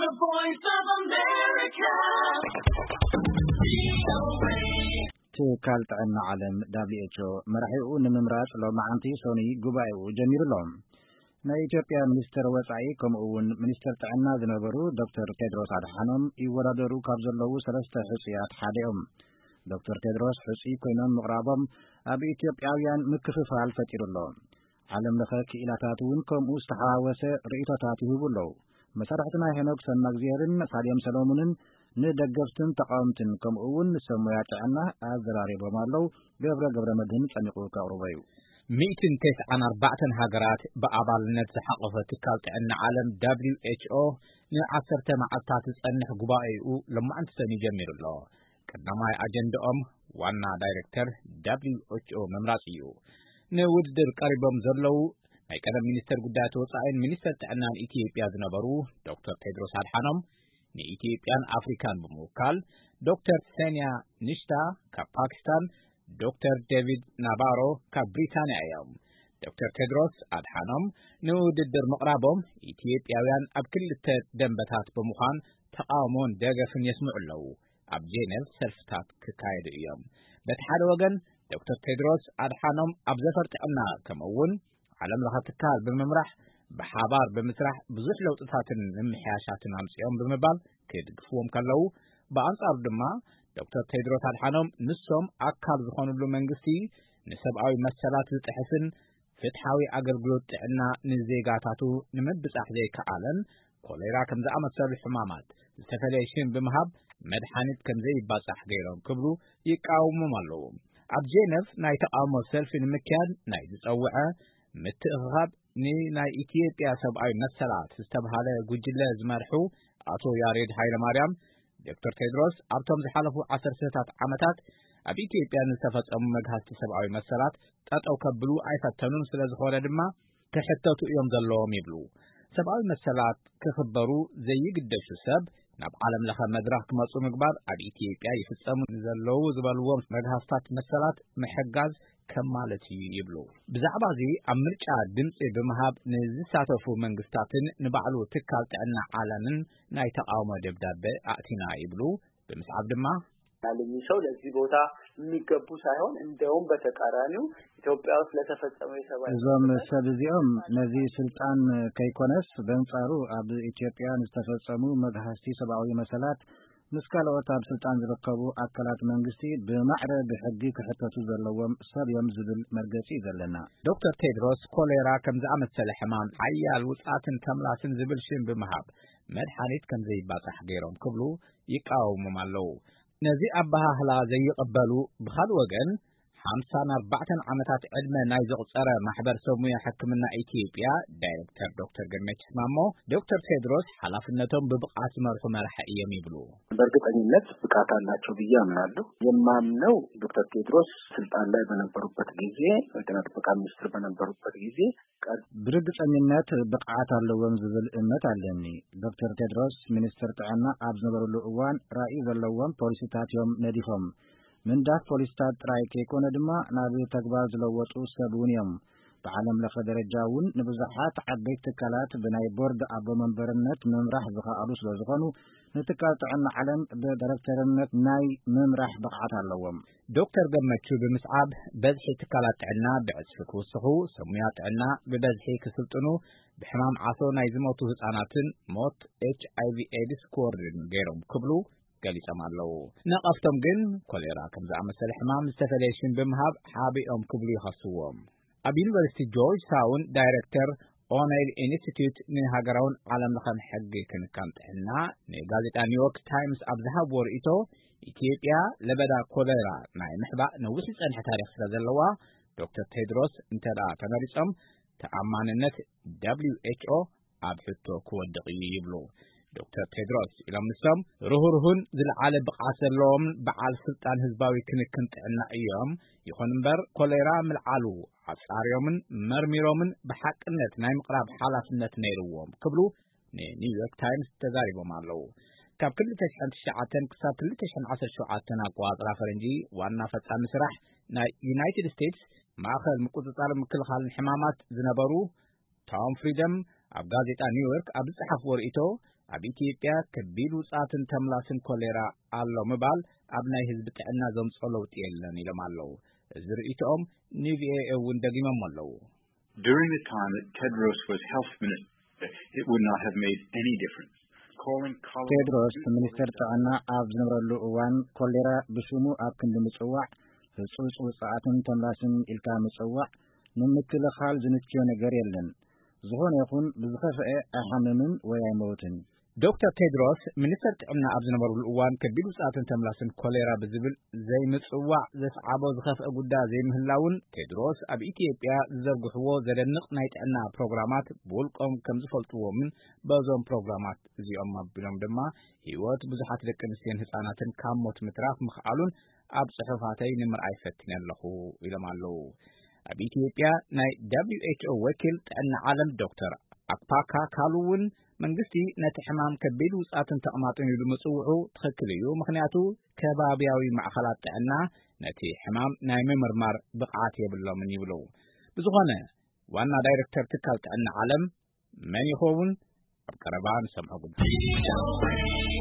Voice of America. ትካል ጥዕና ዓለም፣ ደብሊው ኤች ኦ፣ መራሒኡ ንምምራጽ ሎማዓንቲ ሶኒ ጉባኤኡ ጀሚሩ ኣሎ። ናይ ኢትዮጵያ ሚኒስትር ወጻኢ ከምኡ እውን ሚኒስትር ጥዕና ዝነበሩ ዶክተር ቴድሮስ ኣድሓኖም ይወዳደሩ ካብ ዘለዉ ሰለስተ ሕጹያት ሓደ እዮም። ዶክተር ቴድሮስ ሕጹይ ኮይኖም ምቕራቦም ኣብ ኢትዮጵያውያን ምክፍፋል ፈጢሩ ኣሎ። ዓለም ለኸ ክኢላታት እውን ከምኡ ዝተሓዋወሰ ርእይቶታት ይህቡ ኣለዉ። መሳርሕትና ሄኖክ ሰማእግዚኣብን ሳልዮም ሰሎሙንን ንደገፍትን ተቃወምትን ከምኡ እውን ንሰብ ሞያ ጥዕና ኣዘራሪቦም ኣለዉ። ገብረ ገብረ መድህን ጸሚቑ ከቕርቦ እዩ። ሚእትን ተስዓን ኣርባዕተን ሃገራት ብኣባልነት ዝሓቆፈ ትካል ጥዕና ዓለም ደብሊው ኤች ኦ ንዓሰርተ መዓልታት ዝጸንሕ ጉባኤኡ ሎማዕንቲ ሰኒ ጀሚሩ ኣሎ። ቀዳማይ ኣጀንዳኦም ዋና ዳይሬክተር ደብሊው ኤች ኦ ምምራጽ እዩ። ንውድድር ቀሪቦም ዘለዉ ናይ ቀደም ሚኒስተር ጉዳያት ወጻኢን ሚኒስተር ጥዕናን ኢትዮጵያ ዝነበሩ ዶክተር ቴድሮስ ኣድሓኖም ንኢትዮጵያን ኣፍሪካን ብምውካል፣ ዶክተር ሰንያ ንሽታ ካብ ፓኪስታን፣ ዶክተር ዴቪድ ናባሮ ካብ ብሪታንያ እዮም። ዶክተር ቴድሮስ ኣድሓኖም ንውድድር ምቕራቦም፣ ኢትዮጵያውያን ኣብ ክልተ ደንበታት ብምዃን ተቃውሞን ደገፍን የስምዑ ኣለዉ። ኣብ ጄኔቭ ሰልፍታት ክካየዱ እዮም። በቲ ሓደ ወገን፣ ዶክተር ቴድሮስ ኣድሓኖም ኣብ ዘፈር ጥዕና ከምኡ እውን ዓለም ለኸ ትካል ብምምራሕ ብሓባር ብምስራሕ ብዙሕ ለውጥታትን ምምሕያሻትን ኣምፅኦም ብምባል ክድግፍዎም ከለዉ፣ ብኣንጻሩ ድማ ዶክተር ቴድሮስ ኣድሓኖም ንሶም ኣካል ዝኾኑሉ መንግስቲ ንሰብኣዊ መሰላት ዝጥሕስን ፍትሓዊ ኣገልግሎት ጥዕና ንዜጋታቱ ንምብጻሕ ዘይከኣለን ኮሌራ ከም ዝኣመሰሉ ሕማማት ዝተፈለየ ሽም ብምሃብ መድሓኒት ከም ዘይባጻሕ ገይሮም ክብሉ ይቃወሞም ኣለዉ። ኣብ ጄነቭ ናይ ተቃውሞ ሰልፊ ንምክያድ ናይ ዝጸውዐ ምትእኽኻብ ንናይ ኢትዮጵያ ሰብኣዊ መሰላት ዝተብሃለ ጉጅለ ዝመርሑ ኣቶ ያሬድ ሃይለማርያም፣ ዶክተር ቴድሮስ ኣብቶም ዝሓለፉ ዓሰርተታት ዓመታት ኣብ ኢትዮጵያ ንዝተፈጸሙ መግሃስቲ ሰብኣዊ መሰላት ጠጠው ከብሉ ኣይፈተኑን፣ ስለ ዝኾነ ድማ ክሕተቱ እዮም ዘለዎም ይብሉ። ሰብኣዊ መሰላት ክኽበሩ ዘይግደሹ ሰብ ናብ ዓለም ለኸ መድረኽ ክመጹ ምግባር፣ ኣብ ኢትዮጵያ ይፍጸሙ ዘለዉ ዝበልዎም መግሃስታት መሰላት ምሕጋዝ ከም ማለት እዩ ይብሉ። ብዛዕባ እዚ ኣብ ምርጫ ድምፂ ብምሃብ ንዝሳተፉ መንግስታትን ንባዕሉ ትካል ጥዕና ዓለምን ናይ ተቃውሞ ደብዳቤ ኣእቲና ይብሉ። ብምስዓብ ድማ ናልሚ ሰው ለዚህ ቦታ የሚገቡ ሳይሆን እንደውም በተቃራኒው ኢትዮጵያ ውስጥ ለተፈጸመው የሰብአዊ እዞም መሰላት ሰብ እዚኦም ነዚ ስልጣን ከይኮነስ በንጻሩ ኣብ ኢትዮጵያ ንዝተፈጸሙ መግሃስቲ ሰብኣዊ መሰላት ምስ ካልኦት ኣብ ስልጣን ዝርከቡ ኣካላት መንግስቲ ብማዕረ ብሕጊ ክሕተቱ ዘለዎም ሰብ እዮም ዝብል መርገጺ እዩ ዘለና። ዶክተር ቴድሮስ ኮሌራ ከም ዝኣመሰለ ሕማም ሓያል ውጽኣትን ተምላስን ዝብል ሽም ብምሃብ መድሓኒት ከም ዘይባጻሕ ገይሮም ክብሉ ይቃወሞም ኣለዉ። ነዚ ኣበሃህላ ዘይቕበሉ ብኻልእ ወገን ሓምሳን ኣርባዕተን ዓመታት ዕድመ ናይ ዘቑጸረ ማሕበር ሰብ ሙያ ሕክምና ኢትዮጵያ ዳይሬክተር ዶክተር ገመችስ ማሞ፣ ዶክተር ቴድሮስ ሓላፍነቶም ብብቕዓት ዝመርሑ መራሒ እዮም ይብሉ። በእርግጠኝነት ብቃት አላቸው ብዬ አምናለሁ። የማምነው ዶክተር ቴድሮስ ስልጣን ላይ በነበሩበት ጊዜ፣ የጤና ጥበቃ ሚኒስትር በነበሩበት ጊዜ ቀድ- ብርግጸኝነት ብቕዓት ኣለዎም ዝብል እምነት ኣለኒ። ዶክተር ቴድሮስ ሚኒስትር ጥዕና ኣብ ዝነበሩሉ እዋን ራእይ ዘለዎም ፖሊሲታት እዮም ነዲፎም። ምንዳፍ ፖሊሲታት ጥራይ ከይኮነ ድማ ናብ ተግባር ዝለወጡ ሰብ እውን እዮም። ብዓለም ለኸ ደረጃ እውን ንብዙሓት ዓበይቲ ትካላት ብናይ ቦርድ ኣቦ መንበርነት ምምራሕ ዝኸኣሉ ስለ ዝኾኑ፣ ንትካል ጥዕና ዓለም ብዳይሬክተርነት ናይ ምምራሕ ብቕዓት ኣለዎም። ዶክተር ገመቹ ብምስዓብ፣ በዝሒ ትካላት ጥዕና ብዕጽፊ ክውስኹ፣ ሰብ ሙያ ጥዕና ብበዝሒ ክስልጥኑ፣ ብሕማም ዓሶ ናይ ዝሞቱ ህጻናትን ሞት ኤች ኣይ ቪ ኤድስ ክወርድን ገይሮም ክብሉ ገሊጾም ኣለዉ። ነቐፍቶም ግን ኮሌራ ከም ዝኣመሰለ ሕማም ዝተፈለየ ሽም ብምሃብ ሓቢኦም ክብሉ ይኸስዎም። ኣብ ዩኒቨርሲቲ ጆርጅ ታውን ዳይሬክተር ኦኔል ኢንስቲትዩት ንሃገራውን ዓለም ለኸን ሕጊ ክንካን ጥዕና ንጋዜጣ ኒውዮርክ ታይምስ ኣብ ዝሃብዎ ርእይቶ፣ ኢትዮጵያ ለበዳ ኮሌራ ናይ ምሕባእ ነዊሕ ዝጸንሐ ታሪኽ ስለ ዘለዋ፣ ዶክተር ቴድሮስ እንተ ደኣ ተመሪጾም፣ ተኣማንነት ደብሊው ኤች ኦ ኣብ ሕቶ ክወድቕ እዩ ይብሉ። ዶክተር ቴድሮስ ኢሎም ንሶም ርህሩህን ዝለዓለ ብቕዓት ዘለዎም በዓል ስልጣን ህዝባዊ ክንክን ጥዕና እዮም። ይኹን እምበር ኮሌራ ምልዓሉ ኣጻርዮምን መርሚሮምን ብሓቅነት ናይ ምቕራብ ሓላፍነት ነይርዎም ክብሉ ንኒውዮርክ ታይምስ ተዛሪቦም ኣለዉ። ካብ ክልተ ሽሕን ትሽዓተን ክሳብ ክልተ ሽሕን ዓሰርተ ሸውዓተን ኣቆጻጽራ ፈረንጂ ዋና ፈጻሚ ስራሕ ናይ ዩናይትድ ስቴትስ ማእኸል ምቁጽጻር ምክልኻልን ሕማማት ዝነበሩ ቶም ፍሪደም ኣብ ጋዜጣ ኒውዮርክ ኣብ ዝጸሓፍዎ ርእይቶ፣ ኣብ ኢትዮጵያ ከቢድ ውጻትን ተምላስን ኮሌራ ኣሎ ምባል ኣብ ናይ ህዝቢ ጥዕና ዘምጾ ለውጢ የለን ኢሎም ኣለዉ። እዚ ርእይቶኦም ንቪኦኤ እውን ደጊሞም ኣለዉ። During the time that Tedros was health minister, it would not have made any difference. Calling cholera ቴድሮስ ሚኒስተር ጥዕና ኣብ ዝነበረሉ እዋን ኮሌራ ብሽሙ ኣብ ክንዲ ምጽዋዕ፣ ህጹጽ ውጽኣትን ተምላስን ኢልካ ምጽዋዕ ንምክልኻል ዝንክዮ ነገር የለን። ዝኾነ ይኹን ብዝኸፍአ ኣይሓምምን ወይ ኣይመውትን። ዶክተር ቴድሮስ ሚኒስተር ጥዕና ኣብ ዝነበሩሉ እዋን ከቢድ ውጽኣትን ተምላስን ኮሌራ ብዝብል ዘይምጽዋዕ ዘስዓቦ ዝኸፍአ ጉዳይ ዘይምህላውን ቴድሮስ ኣብ ኢትዮጵያ ዝዘርግሕዎ ዘደንቕ ናይ ጥዕና ፕሮግራማት ብውልቆም ከም ዝፈልጥዎምን በዞም ፕሮግራማት እዚኦም ኣቢሎም ድማ ህይወት ብዙሓት ደቂ ኣንስትዮን ህጻናትን ካብ ሞት ምትራፍ ምኽኣሉን ኣብ ጽሑፋተይ ንምርኣይ ፈቲነ ኣለኹ ኢሎም ኣለዉ። ኣብ ኢትዮጵያ ናይ ደብሊው ኤች ኦ ወኪል ጥዕና ዓለም ዶክተር ኣክፓካ ካሉ እውን መንግስቲ ነቲ ሕማም ከቢድ ውጻትን ተቕማጥን ኢሉ ምጽውዑ ትኽክል እዩ፣ ምኽንያቱ ከባብያዊ ማዕኸላት ጥዕና ነቲ ሕማም ናይ ምምርማር ብቕዓት የብሎምን ይብሉ። ብዝኾነ ዋና ዳይሬክተር ትካል ጥዕና ዓለም መን ይኸውን? ኣብ ቀረባ ንሰምዖ ጉዳይ።